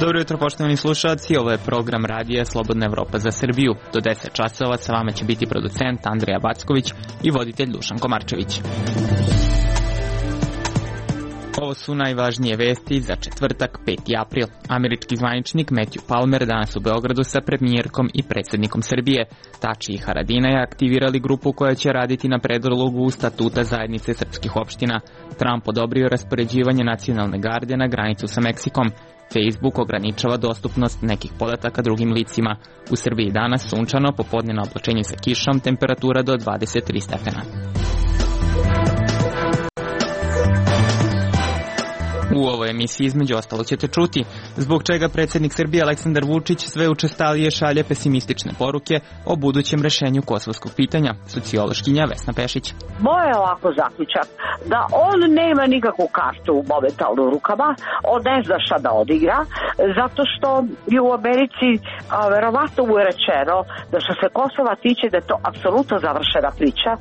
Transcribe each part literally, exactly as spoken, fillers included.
Dobro jutro, poštovani slušalci, ovo je program radija Slobodna Evropa za Srbiju. Do deset časova sa vama će biti producent Andrija Backović i voditelj Dušan Komarčević. Ovo su najvažnije vesti za četvrtak, peti april. Američki zvaničnik Matthew Palmer danas u Beogradu sa premijerkom i predsjednikom Srbije. Tači i Haradinaj aktivirali grupu koja će raditi na predlogu statuta zajednice srpskih opština. Trump odobrio raspoređivanje nacionalne garde na granicu sa Meksikom. Facebook ograničava dostupnost nekih podataka drugim licima. U Srbiji danas sunčano, popodne na oblačenje sa kišom, temperatura do dvadeset tri stepena. U ovoj emisiji između ostalo ćete čuti zbog čega predsjednik Srbije Aleksandar Vučić sve učestalije šalje pesimistične poruke o budućem rešenju kosovskog pitanja. Sociološkinja Vesna Pešić. Moj je ovako zaključak da on nema nikakvu kartu momentalno u rukama, on ne zna šta da odigra, zato što je u Americi a, verovatno mu je rečeno da što se Kosova tiče da je to apsolutno završena priča.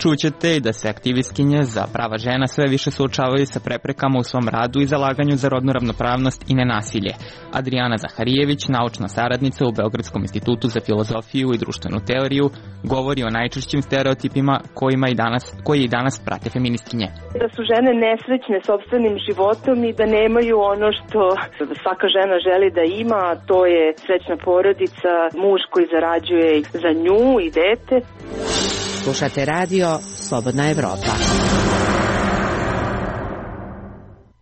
Čućete i da se aktivistkinje za prava žena sve više suočavaju sa preprekama u svom radu i zalaganju za rodnu ravnopravnost i nenasilje. Adriana Zaharijević, naučna saradnica u Beogradskom institutu za filozofiju i društvenu teoriju, govori o najčešćim stereotipima kojima i danas, koji i danas prate feministkinje. Da su žene nesrećne sopstvenim životom i da nemaju ono što svaka žena želi da ima, a to je srećna porodica, muž koji zarađuje za nju i dete. Slušate radio Slobodna Evropa.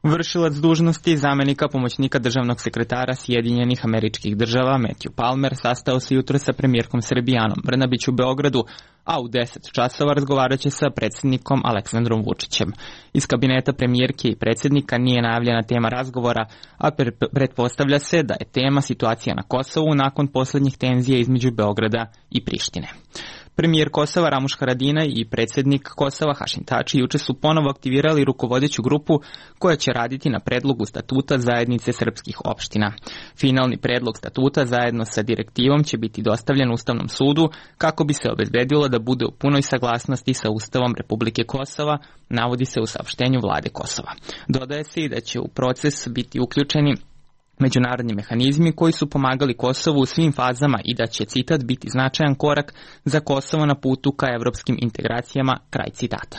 Vršilac dužnosti zamenika pomoćnika državnog sekretara Sjedinjenih Američkih Država Matthew Palmer sastao se jutro sa premijerkom Srbije Anom Brnabić u Beogradu, a u deset časova razgovarat će sa predsjednikom Aleksandrom Vučićem. Iz kabineta premijerke i predsjednika nije najavljena tema razgovora, a pretpostavlja se da je tema situacija na Kosovu nakon posljednjih tenzija između Beograda i Prištine. Premijer Kosova Ramuš Haradinaj i predsjednik Kosova Hašim Tači juče su ponovo aktivirali rukovodeću grupu koja će raditi na predlogu statuta zajednice srpskih opština. Finalni predlog statuta zajedno sa direktivom će biti dostavljen Ustavnom sudu kako bi se obezbedilo da bude u punoj saglasnosti sa Ustavom Republike Kosova, navodi se u saopštenju vlade Kosova. Dodaje se i da će u proces biti uključeni međunarodni mehanizmi koji su pomagali Kosovu u svim fazama i da će, citat, biti značajan korak za Kosovo na putu ka evropskim integracijama, kraj citata.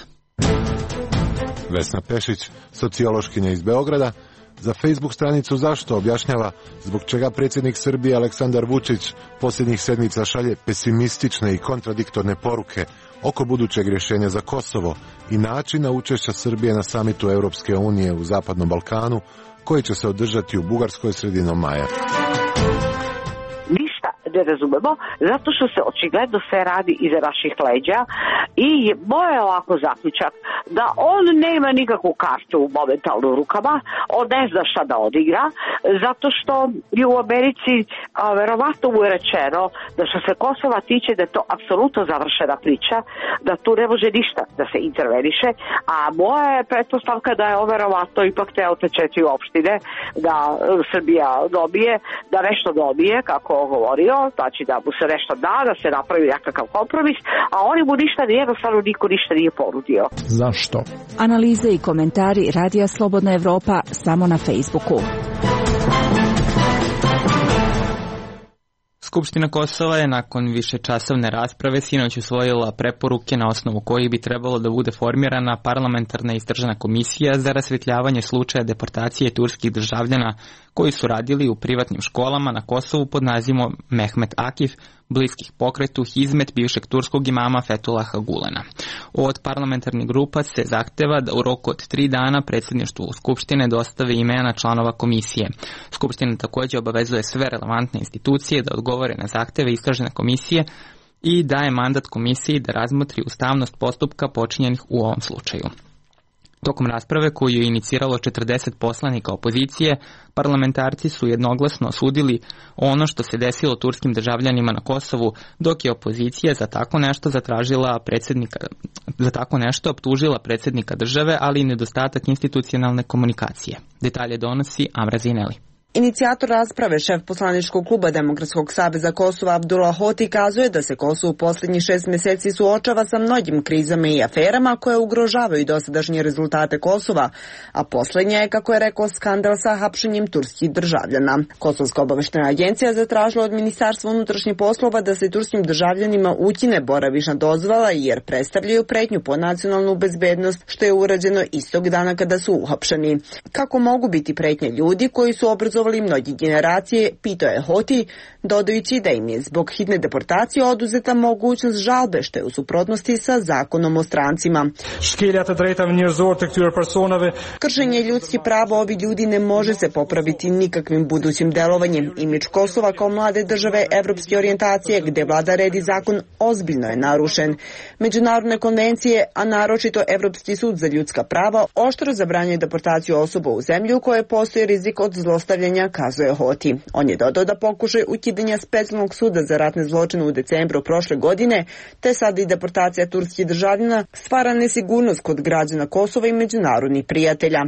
Vesna Pešić, sociološkinja iz Beograda, za Facebook stranicu Zašto objašnjava zbog čega predsjednik Srbije Aleksandar Vučić posljednjih sedmica šalje pesimistične i kontradiktorne poruke oko budućeg rješenja za Kosovo i načina učešća Srbije na samitu Europske unije u Zapadnom Balkanu, koji će se održati u Bugarskoj sredinom maja. Ništa ne razumemo, zato što se očigledno sve radi iza naših leđa i moj je ovako zaključak da on nema nikakvu kartu momentalno u rukama, on ne zna šta da odigra, zato što je u Americi a, verovatno mu je rečeno da što se Kosova tiče da je to apsolutno završena priča, da tu ne može ništa da se interveniše, a moja je pretpostavka da je on verovatno ipak teo te četiri opštine da Srbija dobije, da nešto dobije, kako on govorio, znači da mu se nešto da, da se napravi nekakav kompromis, a oni mu ništa, jednostavno niko ništa nije ponudio. Zašto? Analize i komentari Radija Slobodna Evropa samo na Facebooku. Skupština Kosova je nakon višečasovne rasprave sinoć usvojila preporuke na osnovu kojih bi trebalo da bude formirana parlamentarna istražna komisija za rasvetljavanje slučaja deportacije turskih državljana koji su radili u privatnim školama na Kosovu pod nazivom Mehmet Akif, bliskih pokretu Hizmet bivšeg turskog imama Fethulaha Gulena. Od parlamentarnih grupa se zahteva da u roku od tri dana predsjedništvu Skupštine dostave imena članova komisije. Skupština također obavezuje sve relevantne institucije da odgovore na zahteve istražne komisije i daje mandat komisiji da razmotri ustavnost postupka počinjenih u ovom slučaju. Tokom rasprave koju je iniciralo četrdeset poslanika opozicije, parlamentarci su jednoglasno osudili ono što se desilo turskim državljanima na Kosovu, dok je opozicija za tako nešto zatražila predsjednika, za tako nešto optužila predsjednika države, ali i nedostatak institucionalne komunikacije. Detalje donosi Amra Zineli. Inicijator rasprave, šef poslaničkog kluba Demokratskog saveza Kosova Abdullah Hoti kazuje da se Kosovo u posljednjih šest mjeseci suočava sa mnogim krizama i aferama koje ugrožavaju dosadašnje rezultate Kosova, a posljednja je, kako je rekao, skandal sa hapšenjem turskih državljana. Kosovska obaveštena agencija zatražila od Ministarstva unutrašnjih poslova da se turskim državljanima ukine boravišna dozvola jer predstavljaju pretnju po nacionalnu bezbednost, što je urađeno istog dana kada su uhapšeni. Kako mogu biti pretnje ljudi koji su obrazovali mnogi generacije, pitao je Hoti, dodajući da im je zbog hitne deportacije oduzeta mogućnost žalbe, što je u suprotnosti sa zakonom o strancima. Kršenje ljudskih prava ovih ljudi ne može se popraviti nikakvim budućim delovanjem. Imidž Kosova kao mlade države evropske orijentacije, gde vlada red i zakon, ozbiljno je narušen. Međunarodne konvencije, a naročito Evropski sud za ljudska prava, oštro zabranjuje deportaciju osoba u zemlju koje postoji rizik od zlostavljanja, kazuje Hoti. On je dodao da pokušaj ukidanja specijalnog suda za ratne zločine u decembru prošle godine, te sad i deportacija turskih državljana, stvara nesigurnost kod građana Kosova i međunarodnih prijatelja.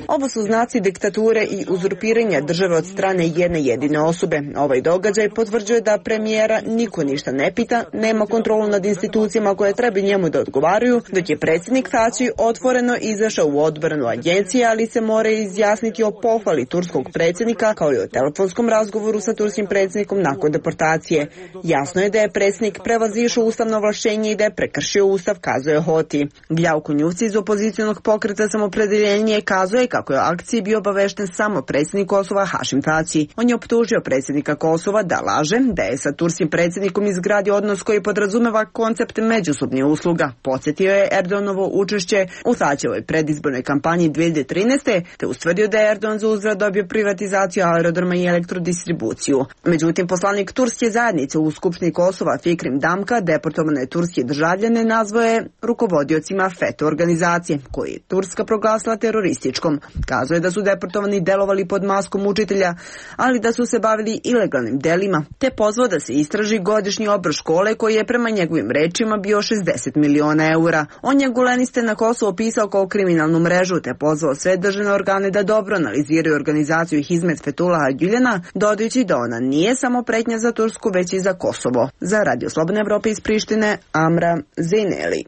Ovo su znaci diktature i uzurpiranja države od strane jedne jedine osobe. Ovaj događaj potvrđuje da premijera niko ništa ne pita, nema kontrolu nad institucijama koje treba njemu da odgovaraju, dok je predsjednik Tači otvoreno izašao u odbranu agencije, ali se mora izjasniti o pohvali turskog predsjednika kao i o telefonskom razgovoru sa turskim predsjednikom nakon deportacije. Jasno je da je predsjednik prevazišao ustavno ovlašćenje i da je prekršio ustav, kazuje Hoti. Gljavko Njuvci iz opozicionog pokreta Samopredeljenje kazuje kako je o akciji bio obavešten samo predsjednik Kosova Hašim Tači. On je optužio predsjednika Kosova da laže, da je sa turskim predsjednikom izgradio odnos koji podrazumeva koncept međusobnih usluga. Podsjetio je Erdoganovo učešće u Tačevoj predizbornoj kampanji dvije hiljade trinaeste. te ustvrdio da je Erdogan za uzvrat dobio privatizaciju aerodroma i elektrodistribuciju. Međutim, poslanik turske zajednice u Skupštini Kosova Fikrim Damka deportovane turske državljane nazvao je rukovodiocima FETÖ organizacije, koji je Turska proglasila terorističkom. Kazuje da su deportovani delovali pod maskom učitelja, ali da su se bavili ilegalnim delima, te pozvao da se istraži godišnji obrt škole koji je prema njegovim rečima bio šezdeset miliona eura. On je guleniste na Kosovo opisao kao kriminalnu mrežu, te pozvao sve državne organe da dobro analiziraju organizaciju Hizmet Fethullaha Gülen'a, dodajući da ona nije samo pretnja za Tursku, već i za Kosovo. Za Radio Slobodne Evrope iz Prištine, Amra Zineli.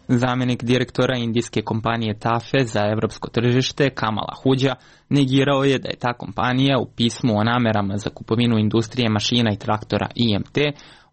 Zamjenik direktora indijske kompanije Tafe za evropsko tržište Kamal Ahuja negirao je da je ta kompanija u pismu o namerama za kupovinu industrije mašina i traktora I M T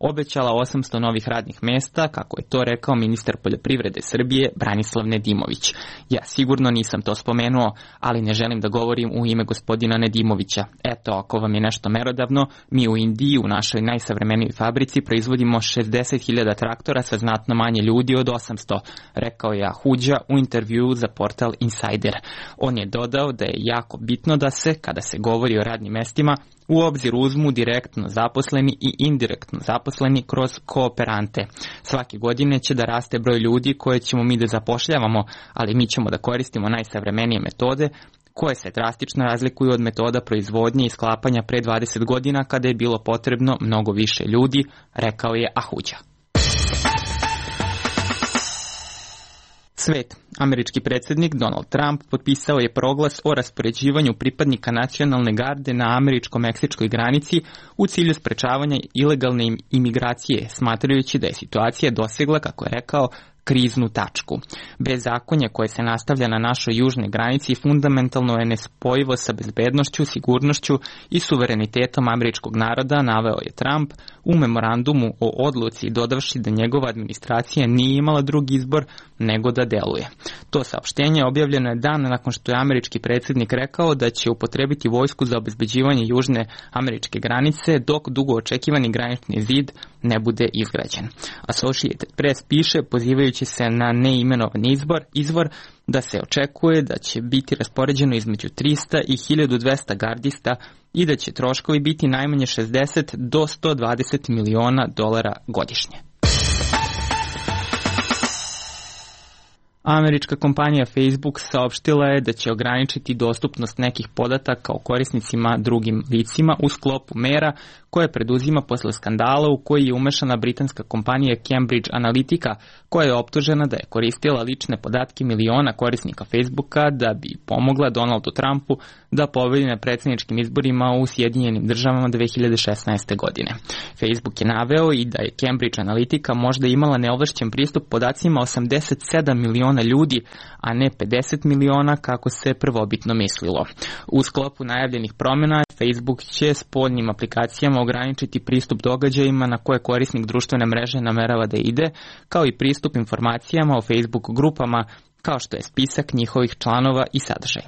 obećala osamsto novih radnih mesta, kako je to rekao ministar poljoprivrede Srbije Branislav Nedimović. Ja sigurno nisam to spomenuo, ali ne želim da govorim u ime gospodina Nedimovića. Eto, ako vam je nešto merodavno, mi u Indiji u našoj najsavremenijoj fabrici proizvodimo šezdeset hiljada traktora sa znatno manje ljudi od osamsto, rekao je Ahuja u intervjuu za portal Insider. On je dodao da je jako bitno da se, kada se govori o radnim mestima, u obzir uzmu direktno zaposleni i indirektno zaposleni kroz kooperante. Svake godine će da raste broj ljudi koje ćemo mi da zapošljavamo, ali mi ćemo da koristimo najsavremenije metode koje se drastično razlikuju od metoda proizvodnje i sklapanja pre dvadeset godina kada je bilo potrebno mnogo više ljudi, rekao je Ahuja. Svet. Američki predsjednik Donald Trump potpisao je proglas o raspoređivanju pripadnika nacionalne garde na američko-meksičkoj granici u cilju sprečavanja ilegalne imigracije, smatrajući da je situacija dosegla, kako je rekao, kriznu tačku. Bezakonje koje se nastavlja na našoj južnoj granici fundamentalno je nespojivo sa bezbednošću, sigurnošću i suverenitetom američkog naroda, naveo je Trump u memorandumu o odluci, dodavši da njegova administracija nije imala drugi izbor nego da deluje. To saopštenje objavljeno je dan nakon što je američki predsjednik rekao da će upotrebiti vojsku za obezbeđivanje južne američke granice dok dugo očekivani granični zid ne bude izgrađen. Associated Press piše, pozivajući se na neimenovani izbor, izvor, da se očekuje da će biti raspoređeno između trista i hiljadu dvesta gardista i da će troškovi biti najmanje šezdeset do sto dvadeset miliona dolara godišnje. Američka kompanija Facebook saopštila je da će ograničiti dostupnost nekih podataka o korisnicima drugim licima u sklopu mera koje preduzima posle skandala u koji je umešana britanska kompanija Cambridge Analytica, koja je optužena da je koristila lične podatke miliona korisnika Facebooka da bi pomogla Donaldu Trumpu da pobedi na predsjedničkim izborima u Sjedinjenim državama dve hiljade šesnaeste. godine. Facebook je naveo i da je Cambridge Analytica možda imala neovlašćen pristup podacima osamdeset sedam miliona ljudi, a ne pedeset miliona kako se prvobitno mislilo. U sklopu najavljenih promjena Facebook će spoljnim aplikacijama ograničiti pristup događajima na koje korisnik društvene mreže namerava da ide, kao i pristup informacijama o Facebook grupama, kao što je spisak njihovih članova i sadržaj.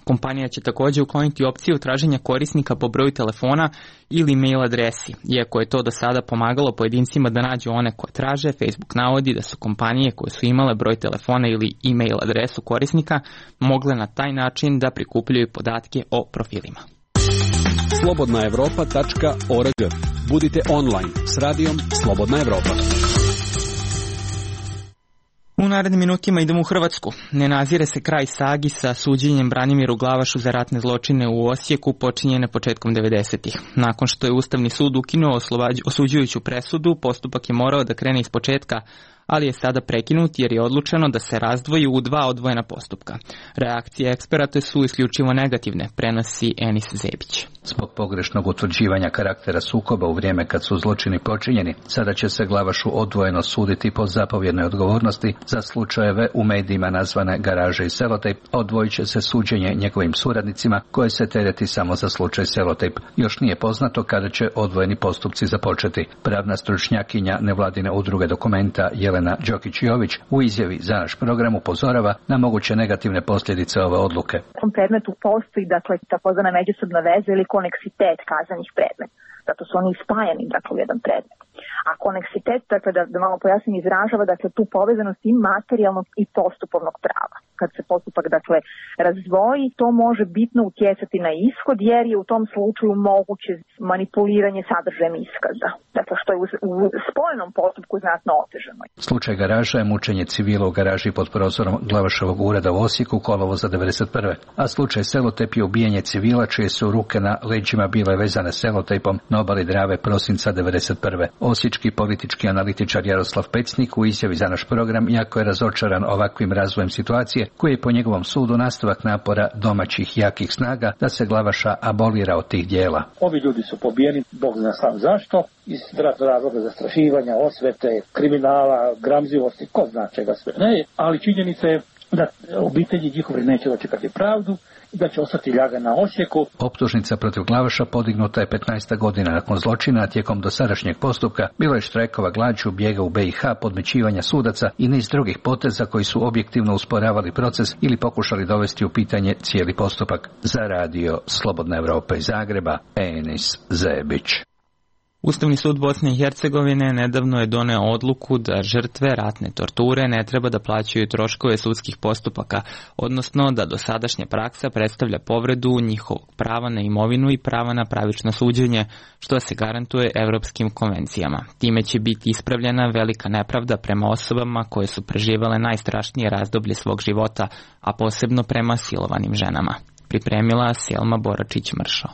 Kompanija će također ukloniti opciju traženja korisnika po broju telefona ili mail adresi. Iako je to do sada pomagalo pojedincima da nađu one koje traže, Facebook navodi da su kompanije koje su imale broj telefona ili e-mail adresu korisnika mogle na taj način da prikupljaju podatke o profilima. slobodna evropa tačka org. Budite online s radijom Slobodna Evropa. U narednim minutima idemo u Hrvatsku. Ne nazire se kraj sagi sa suđenjem Branimiru Glavašu za ratne zločine u Osijeku počinjene početkom devedesetih. Nakon što je Ustavni sud ukinuo osuđujuću presudu, postupak je morao da krene iz početka, ali je sada prekinut jer je odlučeno da se razdvoji u dva odvojena postupka. Reakcije eksperata su isključivo negativne, prenosi Enis Zebić. Zbog pogrešnog utvrđivanja karaktera sukoba u vrijeme kad su zločini počinjeni, sada će se Glavašu odvojeno suditi po zapovjednoj odgovornosti za slučajeve u medijima nazvane Garaže i Selotejp. Odvojit će se suđenje njegovim suradnicima koje se tereti samo za slučaj Selotejp. Još nije poznato kada će odvojeni postupci započeti. Pravna stručnjakinja nevladine udruge Dokumenta Jelena Đokić-Jović u izjavi za naš program upozorava na moguće negativne posljedice ove odluke. U tom predmetu postoji dakle takozvana međusobna veza ili koneksitet kaznenih predmeta. Zato su oni spajani dakle u jedan predmet. A koneksitet, dakle da, da malo pojasnim, izražava dakle tu povezanost i materijalnog i postupovnog prava. Kad se postupak dakle razdvoji, to može bitno utjecati na ishod jer je u tom slučaju moguće manipuliranje sadržajem iskaza. Dakle što je u, u spojenom postupku znatno otežano. Slučaj Garaža je mučenje civila u garaži pod prozorom Glavaševog ureda u Osijeku kolovoza devedeset prve. A slučaj Selotejp je ubijanje civila čije su ruke na leđima bile vezane selotejpom na obali Drave prosinca devedeset prve. Osječki politički analitičar Jaroslav Pecnik u izjavi za naš program jako je razočaran ovakvim razvojem situacije koji je po njegovom sudu nastavak napora domaćih jakih snaga da se Glavaša abolira od tih dijela. Ovi ljudi su pobijeni, Bog zna sam zašto, iz razloga zastrašivanja, osvete, kriminala, gramzivosti, ko zna čega sve ne, ali činjenica je da obitelji njihovi neće dočekati pravdu i da će ostati ljaga na Osijeku. Optužnica protiv Glavaša podignuta je petnaesta godina nakon zločina, tijekom dosadašnjeg postupka bilo je štrajkova glađu, bijega u B i H, podmećivanja sudaca i niz drugih poteza koji su objektivno usporavali proces ili pokušali dovesti u pitanje cijeli postupak. Za radio Slobodna Evropa iz Zagreba, Enis Zebić. Ustavni sud Bosne i Hercegovine nedavno je doneo odluku da žrtve ratne torture ne treba da plaćaju troškove sudskih postupaka, odnosno da dosadašnja praksa predstavlja povredu njihovog prava na imovinu i prava na pravično suđenje, što se garantuje evropskim konvencijama. Time će biti ispravljena velika nepravda prema osobama koje su preživale najstrašnije razdoblje svog života, a posebno prema silovanim ženama. Pripremila Selma Boračić-Mršo.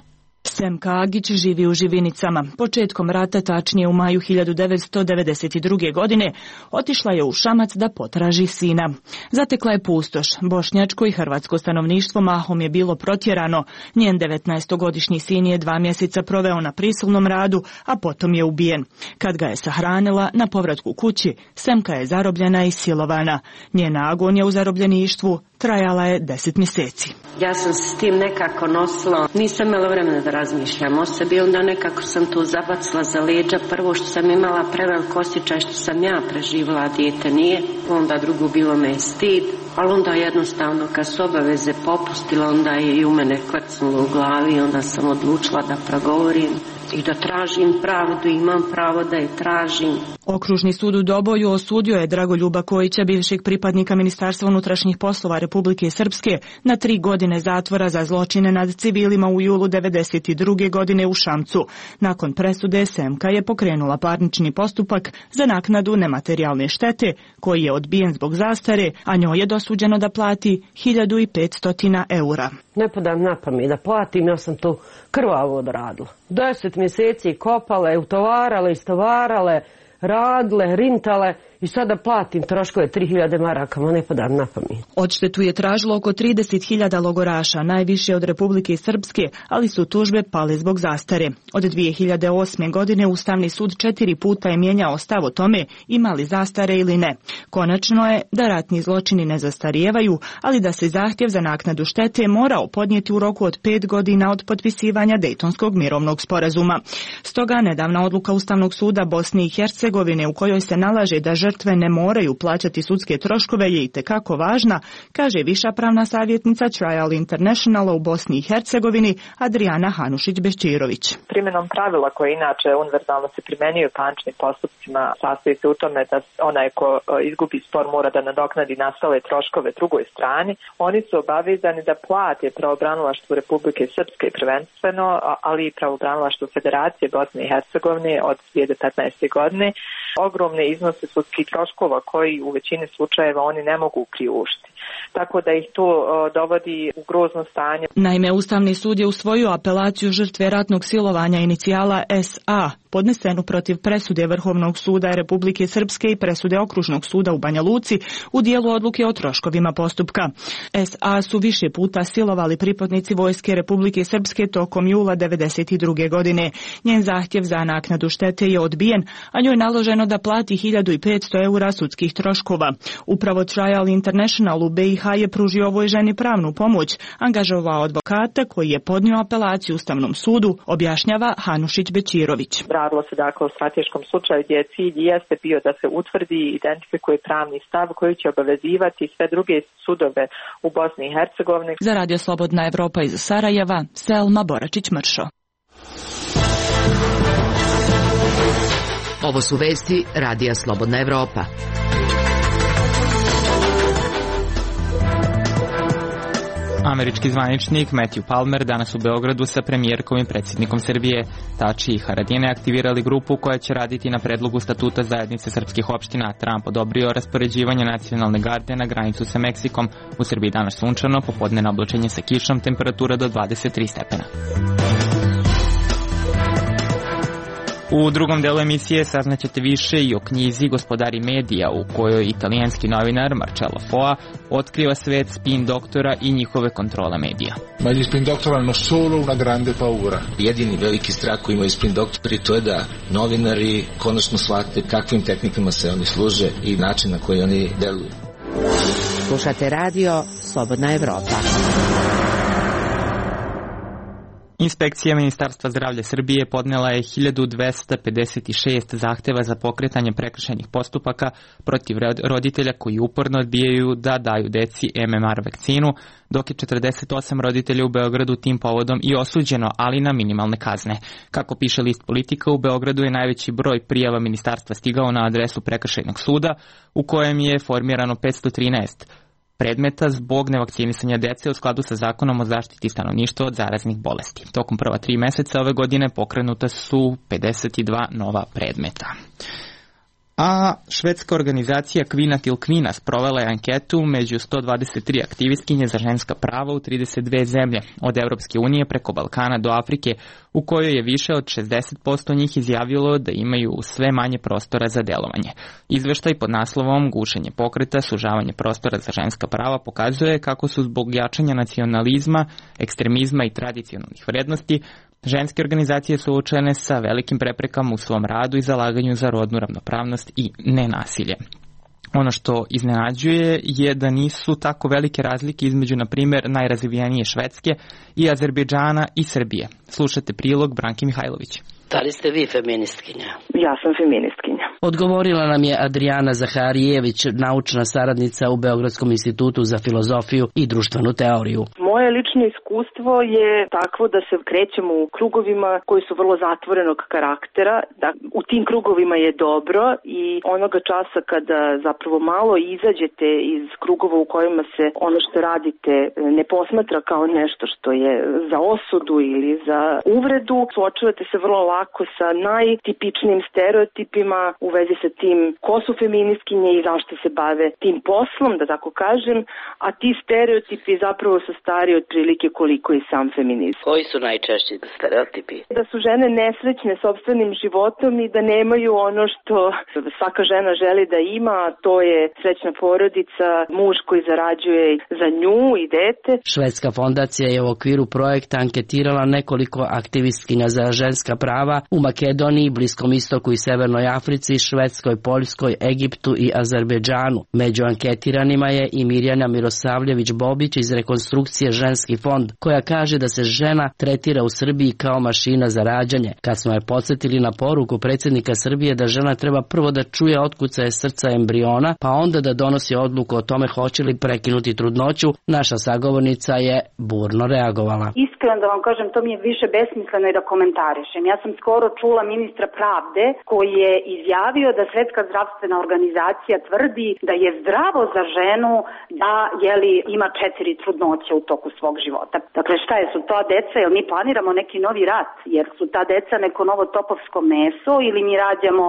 Semka Agić živi u Živinicama. Početkom rata, tačnije u maju hiljadu devetsto devedeset druge. godine, otišla je u Šamac da potraži sina. Zatekla je pustoš. Bošnjačko i hrvatsko stanovništvo mahom je bilo protjerano. Njen devetnaestogodišnji sin je dva mjeseca proveo na prisilnom radu, a potom je ubijen. Kad ga je sahranila, na povratku kući, Semka je zarobljena i silovana. Njena agonija u zarobljeništvu trajala je deset mjeseci. Ja sam se s tim nekako nosila, nisam imala vremena da razmišljam o sebi, onda nekako sam tu zabacila za leđa. Prvo što sam imala prevelik osjećaj što sam ja preživjela, a dijete nije, onda drugo bilo me je stid, ali onda jednostavno kad su obaveze popustila, onda je i u mene kvrcnulo u glavi, onda sam odlučila da progovorim i da tražim pravdu, imam pravo da je tražim. Okružni sud u Doboju osudio je Dragoljuba Kojića, bivšeg pripadnika Ministarstva unutrašnjih poslova Republike Srpske, na tri godine zatvora za zločine nad civilima u julu devedeset druge godine u Šamcu. Nakon presude S M K je pokrenula parnični postupak za naknadu nematerijalne štete, koji je odbijen zbog zastare, a njoj je dosuđeno da plati hiljadu petsto eura. Ne padam na pamet da platim, ja sam to krvavo odradila. Deset mjeseci kopale, utovarale, istovarale, radile, rintale i sada platim troškove tri hiljade maraka, ma ne padam na pamet. Odštetu je tražilo oko trideset hiljada logoraša, najviše od Republike Srpske, ali su tužbe pale zbog zastare. Od dvije hiljade osme. godine Ustavni sud četiri puta je mijenjao stav o tome ima li zastare ili ne. Konačno je da ratni zločini ne zastarijevaju, ali da se zahtjev za naknadu štete morao podnijeti u roku od pet godina od potpisivanja Dejtonskog mirovnog sporazuma. Stoga nedavna odluka Ustavnog suda Bosne i Hercegovine u kojoj se nalaže da žrtve ne moraju plaćati sudske troškove je itekako važna, kaže viša pravna savjetnica Trial Internationala u Bosni i Hercegovini Adriana Hanušić-Bećirović. Primjenom pravila koje inače univerzalno se primjenjuju u parničnim postupcima sastoji se u tome da onaj ko izgubi spor mora da nadoknadi nastale troškove drugoj strani. Oni su obavezani da plate pravobranilaštvu Republike Srpske prvenstveno, ali i pravobranilaštvu Federacije Bosne i Hercegovine od dvije hiljade petnaeste. godine ogromne iznose sudskih troškova koji u većini slučajeva oni ne mogu priuštiti. Tako da ih to dovodi u grozno stanje. Naime, Ustavni sud je usvojio apelaciju žrtve ratnog silovanja inicijala S A, podnesenu protiv presude Vrhovnog suda Republike Srpske i presude Okružnog suda u Banja Luci u dijelu odluke o troškovima postupka. S A su više puta silovali pripadnici vojske Republike Srpske tokom jula devedeset druge. godine. Njen zahtjev za naknadu štete je odbijen, a njoj je naloženo da plati hiljadu petsto eura sudskih troškova. Upravo Trial International u B i H je pružio ovoj ženi pravnu pomoć, angažovao advokata koji je podnio apelaciju Ustavnom sudu, objašnjava Hanušić-Bećirović. Radilo se dakle o strateškom slučaju gdje cilj jeste bio da se utvrdi i identifikuje pravni stav koji će obavezivati sve druge sudove u Bosni i Hercegovini. Za Radio Slobodna Evropa iz Sarajeva, Selma Boračić-Mršo. Ovo su vesti Radija Slobodna Evropa. Američki zvaničnik Matthew Palmer danas u Beogradu sa premijerkom i predsjednikom Srbije Tači i Haradine aktivirali grupu koja će raditi na predlogu statuta zajednice srpskih opština. Trump odobrio raspoređivanje nacionalne garde na granicu sa Meksikom. U Srbiji danas sunčano, popodnevno oblačenje sa kišom, temperatura do dvadeset tri stepena. U drugom delu emisije saznaćete više i o knjizi Gospodari medija, u kojoj italijanski novinar Marcello Foa otkriva svet spin doktora i njihove kontrole medija. Ma gli spin doktori hanno solo una grande paura. Jedini veliki strah koji imaju spin doktori to je da novinari konačno shvate kakvim tehnikama se oni služe i način na koji oni deluju. Slušate radio Slobodna Evropa. Inspekcija Ministarstva zdravlja Srbije podnela je hiljadu dvesta pedeset šest zahteva za pokretanje prekršajnih postupaka protiv roditelja koji uporno odbijaju da daju deci M M R vakcinu, dok je četrdeset osam roditelja u Beogradu tim povodom i osuđeno, ali na minimalne kazne. Kako piše list Politika, u Beogradu je najveći broj prijava ministarstva stigao na adresu prekršajnog suda, u kojem je formirano petsto trinaest predmeta zbog nevakcinisanja dece u skladu sa zakonom o zaštiti stanovništva od zaraznih bolesti. Tokom prva tri meseca ove godine pokrenuta su pedeset dva nova predmeta. A švedska organizacija Kvinna till Kvinna sprovela je anketu među sto dvadeset tri aktivistkinje za ženska prava u trideset dve zemlje, od Evropske unije preko Balkana do Afrike, u kojoj je više od šezdeset posto njih izjavilo da imaju sve manje prostora za delovanje. Izveštaj pod naslovom Gušenje pokreta, sužavanje prostora za ženska prava pokazuje kako su zbog jačanja nacionalizma, ekstremizma i tradicionalnih vrednosti ženske organizacije suočene sa velikim preprekama u svom radu i zalaganju za rodnu ravnopravnost i nenasilje. Ono što iznenađuje je da nisu tako velike razlike između, na primjer, najrazvijenije Švedske i Azerbejdžana i Srbije. Slušate prilog Branke Mihajlović. Da li ste vi feministkinja? Ja sam feministkinja. Odgovorila nam je Adriana Zaharijević, naučna saradnica u Beogradskom institutu za filozofiju i društvenu teoriju. Moje lično iskustvo je takvo da se krećemo u krugovima koji su vrlo zatvorenog karaktera, da u tim krugovima je dobro i onoga časa kada zapravo malo izađete iz krugova u kojima se ono što radite ne posmatra kao nešto što je za osudu ili za uvredu, suočavate se vrlo lako sa najtipičnijim stereotipima u vezi sa tim ko su feministkinje i zašto se bave tim poslom, da tako kažem, a ti stereotipi zapravo su stari otprilike koliko i sam feminizam. Koji su najčešći stereotipi? Da su žene nesrećne sopstvenim životom i da nemaju ono što svaka žena želi da ima, a to je srećna porodica, muž koji zarađuje za nju i dete. Švedska fondacija je u okviru projekta anketirala nekoliko aktivistkinja za ženska prava u Makedoniji, Bliskom istoku i Severnoj Africi, Švedskoj, Poljskoj, Egiptu i Azerbejdžanu. Među anketiranima je i Mirjana Mirosavljević-Bobić iz Rekonstrukcije Ženski fond, koja kaže da se žena tretira u Srbiji kao mašina za rađanje. Kad smo je podsjetili na poruku predsjednika Srbije da žena treba prvo da čuje otkucaje srca embriona, pa onda da donosi odluku o tome hoće li prekinuti trudnoću, naša sagovornica je burno reagovala. Iskreno da vam kažem, to mi je više besmisleno i da komentarišem. Ja sam skoro čula ministra pravde koji je izjavio da Svetska zdravstvena organizacija tvrdi da je zdravo za ženu da jeli, ima četiri trudnoće u toku svog života. Dakle, šta je, su to deca, jel mi planiramo neki novi rat, jer su ta deca neko novo topovsko meso ili mi rađamo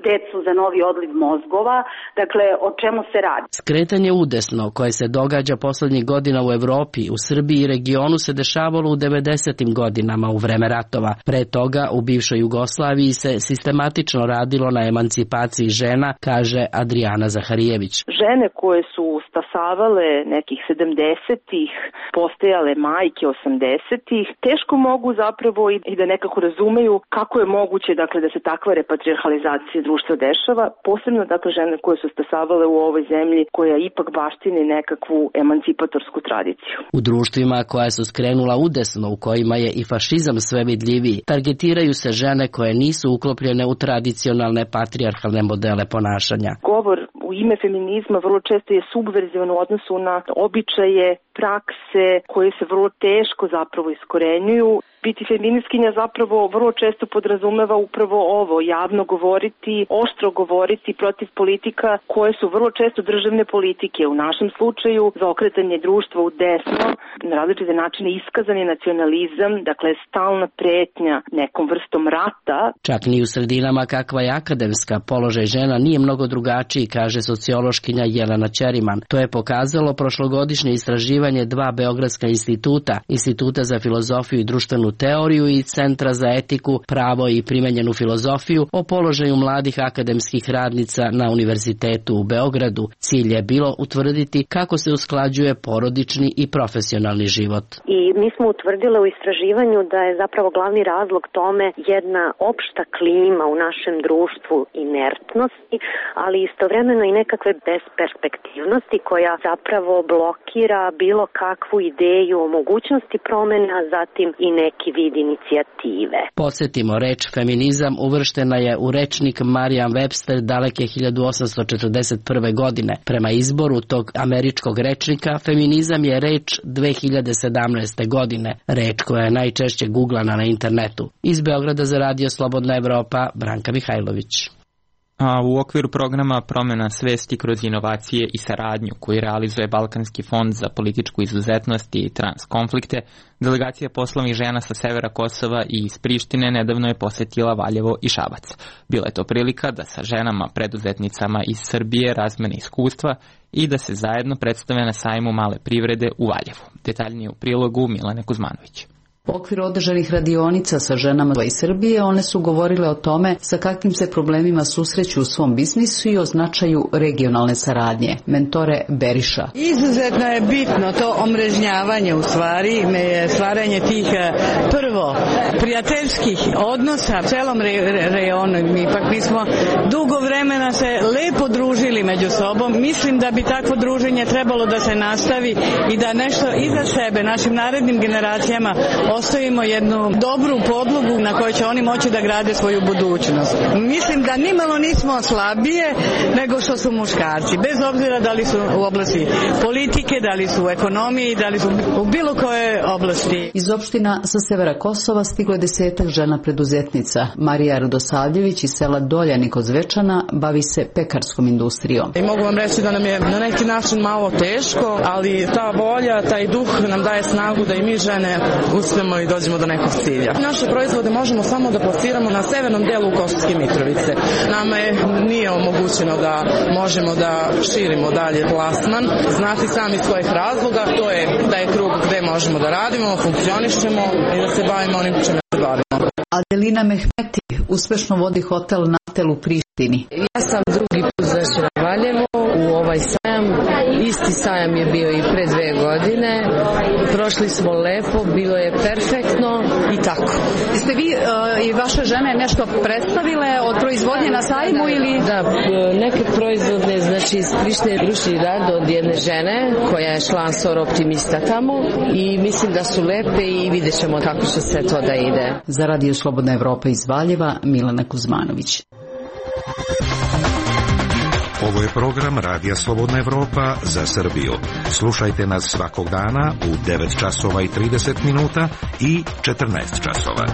decu za novi odliv mozgova, dakle, o čemu se radi? Skretanje udesno koje se događa poslednjih godina u Evropi, u Srbiji i regionu se dešavalo u devedesetim godinama u vreme ratova. Pre toga u bivšoj Jugoslaviji se sistematično radilo na emancipaciji žena, kaže Adriana Zaharijević. Žene koje su stasavale nekih sedamdesetih, postajale majke osamdesetih, teško mogu zapravo i da nekako razumeju kako je moguće dakle da se takva repatrijarhalizacija društva dešava, posebno dakle žene koje su stasavale u ovoj zemlji koja ipak baštini nekakvu emancipatorsku tradiciju. U društvima koja su skrenula udesno, u kojima je i fašizam sve vidljiviji, targetiraju se žene koje nisu uklopljene u tradicionalne patrijarhalne modele ponašanja. Govor u ime feminizma vrlo često je subverzivan u odnosu na običaje, prakse koje se vrlo teško zapravo iskorenjuju. Biti feministkinja zapravo vrlo često podrazumeva upravo ovo, javno govoriti, oštro govoriti protiv politika koje su vrlo često državne politike. U našem slučaju za okretanje društva u desno, na različite načine iskazani nacionalizam, dakle stalna pretnja nekom vrstom rata. Čak ni u sredinama kakva je akademska, položaj žena nije mnogo drugačiji, kaže sociološkinja Jelena Ćeriman. To je pokazalo prošlogodišnje istraživanje dva beogradska instituta, Instituta za filozofiju i društvenu teoriju i Centra za etiku, pravo i primenjenu filozofiju o položaju mladih akademskih radnica na Univerzitetu u Beogradu. Cilj je bilo utvrditi kako se usklađuje porodični i profesionalni život. I mi smo utvrdili u istraživanju da je zapravo glavni razlog tome jedna opšta klima u našem društvu inertnosti, ali istovremeno i nekakve besperspektivnosti koja zapravo blokira bilo kakvu ideju o mogućnosti promena, a zatim i neki vid inicijative. Podsjetimo, reč feminizam uvrštena je u rečnik Marian Webster daleke hiljadu osamsto četrdeset prve. godine. Prema izboru tog američkog rečnika, feminizam je reč dve hiljade sedamnaeste. godine, reč koja je najčešće guglana na internetu. Iz Beograda za Radio Slobodna Evropa, Branka Mihajlović. A u okviru programa Promena svesti kroz inovacije i saradnju koji realizuje Balkanski fond za političku izuzetnost i transkonflikte, delegacija poslovnih žena sa severa Kosova i iz Prištine nedavno je posetila Valjevo i Šabac. Bila je to prilika da sa ženama preduzetnicama iz Srbije razmene iskustva i da se zajedno predstave na sajmu male privrede u Valjevu. Detaljnije u prilogu Milane Kuzmanović. U okviru održanih radionica sa ženama iz Srbije one su govorile o tome sa kakvim se problemima susreću u svom biznisu i o značaju regionalne saradnje. Mentore Beriša. Izuzetno je bitno to omrežnjavanje, u stvari stvaranje tih prvo prijateljskih odnosa u celom re, rejonu. Mi ipak mi smo dugo vremena se lepo družili među sobom. Mislim da bi takvo druženje trebalo da se nastavi i da nešto iza sebe našim narednim generacijama ostavimo jednu dobru podlogu na kojoj će oni moći da grade svoju budućnost. Mislim da nimalo nismo slabije nego što su muškarci, bez obzira da li su u oblasti politike, da li su u ekonomiji, da li su u bilo koje oblasti. Iz opština sa severa Kosova stiglo je desetak žena preduzetnica. Marija Radosavljević iz sela Doljani kod Zvečana bavi se pekarskom industrijom. I mogu vam reći da nam je na neki način malo teško, ali ta volja, taj duh nam daje snagu da i mi žene uspemo i dođemo do nekog cilja. Naše proizvode možemo samo da plasiramo na severnom delu Kosovske Mitrovice. Nama je nije omogućeno da možemo da širimo dalje plasman. Znate sami iz kojih razloga, to je da je krug gde možemo da radimo, funkcionišemo i da se bavimo onim čime se bavimo. Adelina Mehmeti uspešno vodi hotel Natel u Prištini. Ja sam drugi put zašla u Valjevo u ovaj sajam. Isti sajam je bio i pre dve godine. Prošli smo lepo, bilo je perfektno i tako. Jeste vi uh, i vaše žene nešto predstavile od proizvodnje na sajmu ili? Da, neke proizvodne, znači iz Prištine ručni rad od jedne žene koja je član Sor Optimista tamo i mislim da su lepe i vidjet ćemo kako će se to da ide. Za Radio Slobodna Evropa iz Valjeva, Milana Kuzmanović. Ovo je program Radija Slobodna Evropa za Srbiju. Slušajte nas svakog dana u devet časova i trideset minuta i četrnaest časova.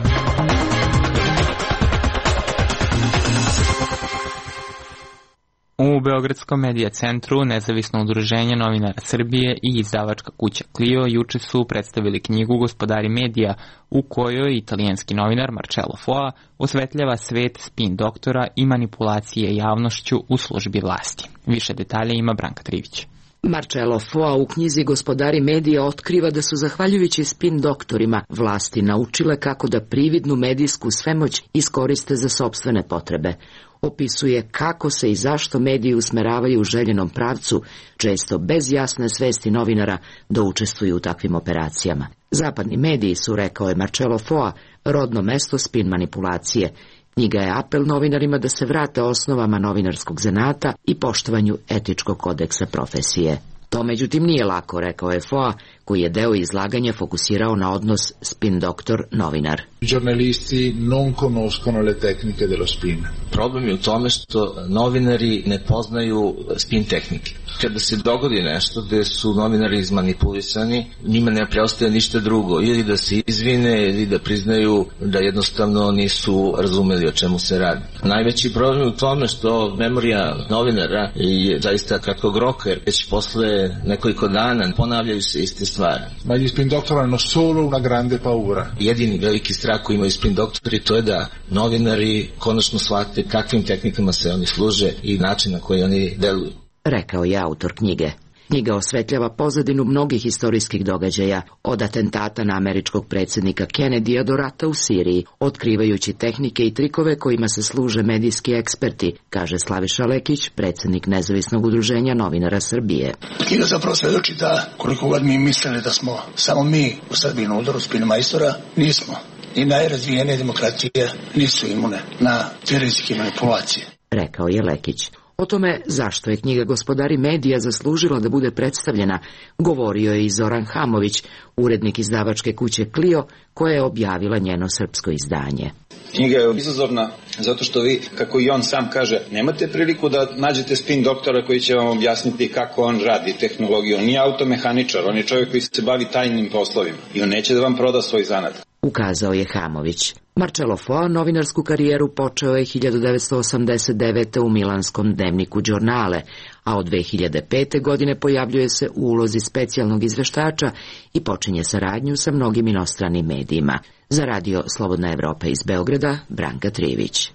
U Beogradskom medija centru Nezavisno udruženje novinara Srbije i izdavačka kuća Clio juče su predstavili knjigu Gospodari medija, u kojoj italijanski novinar Marcello Foa osvetljava svet spin doktora i manipulacije javnošću u službi vlasti. Više detalje ima Branka Trivić. Marcello Foa u knjizi Gospodari medija otkriva da su zahvaljujući spin doktorima vlasti naučile kako da prividnu medijsku svemoć iskoriste za sopstvene potrebe. Opisuje kako se i zašto mediji usmeravaju u željenom pravcu, često bez jasne svesti novinara, da učestvuju u takvim operacijama. Zapadni mediji su, rekao je Marcello Foa, rodno mesto spin manipulacije. Knjiga je apel novinarima da se vrate osnovama novinarskog zanata i poštovanju etičkog kodeksa profesije. To međutim nije lako, rekao je Foa, koji je deo izlaganja fokusirao na odnos spin doktor novinar. Giornalisti non conoscono le tecniche dello spin. Problem je u tome što novinari ne poznaju spin tehnike. Kada se dogodi nešto gde su novinari izmanipulisani, njima ne preostaje ništa drugo, ili da se izvine, ili da priznaju da jednostavno nisu razumeli o čemu se radi. Najveći problem je u tome što memorija novinara je zaista kratkog roka, jer već posle nekoliko dana ponavljaju se iste stvari. Ma gli spin doktori hanno solo una grande paura. Jedini veliki strah koji imaju spin doktori to je da novinari konačno shvate kakvim tehnikama se oni služe i način na koji oni deluju, rekao je autor knjige. Knjiga osvetljava pozadinu mnogih istorijskih događaja, od atentata na američkog predsjednika Kennedyja do rata u Siriji, otkrivajući tehnike i trikove kojima se služe medijski eksperti, kaže Slaviša Lekić, predsjednik Nezavisnog udruženja novinara Srbije. Knjiga zapravo svedoči da koliko god mi mislili da smo samo mi u Srbiji na udaru spin majstora, nismo. I najrazvijenije demokracije nisu imune na te rizike manipulacije, rekao je Lekić. O tome zašto je knjiga Gospodari medija zaslužila da bude predstavljena, govorio je i Zoran Hamović, urednik izdavačke kuće Clio, koja je objavila njeno srpsko izdanje. Knjiga je izazovna zato što vi, kako i on sam kaže, nemate priliku da nađete spin doktora koji će vam objasniti kako on radi tehnologiju. On nije automehaničar, on je čovjek koji se bavi tajnim poslovima i on neće da vam proda svoj zanat, ukazao je Hamović. Marcello Foa novinarsku karijeru počeo je hiljadu devetsto osamdeset devete. u milanskom dnevniku Giornale, a od dve hiljade pete. godine pojavljuje se u ulozi specijalnog izveštača i počinje saradnju sa mnogim inostranim medijima. Za Radio Slobodna Evropa iz Beograda, Branka Trivić.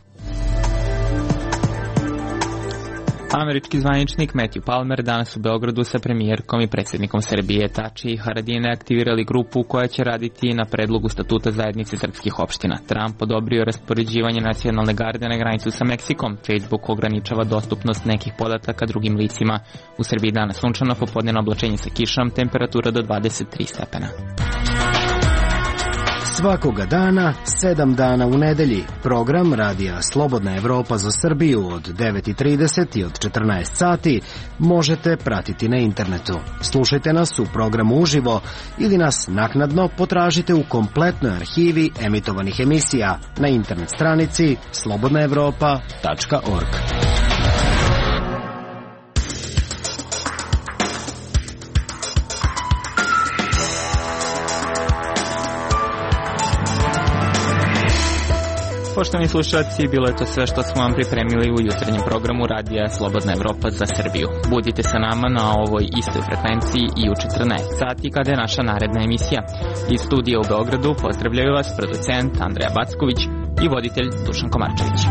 Američki zvaničnik Matthew Palmer danas u Beogradu sa premijerkom i predsjednikom Srbije Tači i Haradine aktivirali grupu koja će raditi na predlogu statuta zajednice srpskih opština. Trump odobrio raspoređivanje nacionalne garde na granicu sa Meksikom. Facebook ograničava dostupnost nekih podataka drugim licima. U Srbiji danas sunčano, popodnevno oblačenje sa kišom, temperatura do dvadeset tri stepena. Svakoga dana, sedam dana u nedelji. Program Radija Slobodna Evropa za Srbiju od devet i trideset i od četrnaest sati možete pratiti na internetu. Slušajte nas u programu uživo ili nas naknadno potražite u kompletnoj arhivi emitovanih emisija na internet stranici slobodna evropa tačka org. Poštovani slušalci, bilo je to sve što smo vam pripremili u jutarnjem programu Radija Slobodna Evropa za Srbiju. Budite sa nama na ovoj istoj frekvenciji i u četrnaest sati kada je naša naredna emisija. Iz studija u Beogradu pozdravljaju vas producent Andreja Backović i voditelj Dušan Komarčević.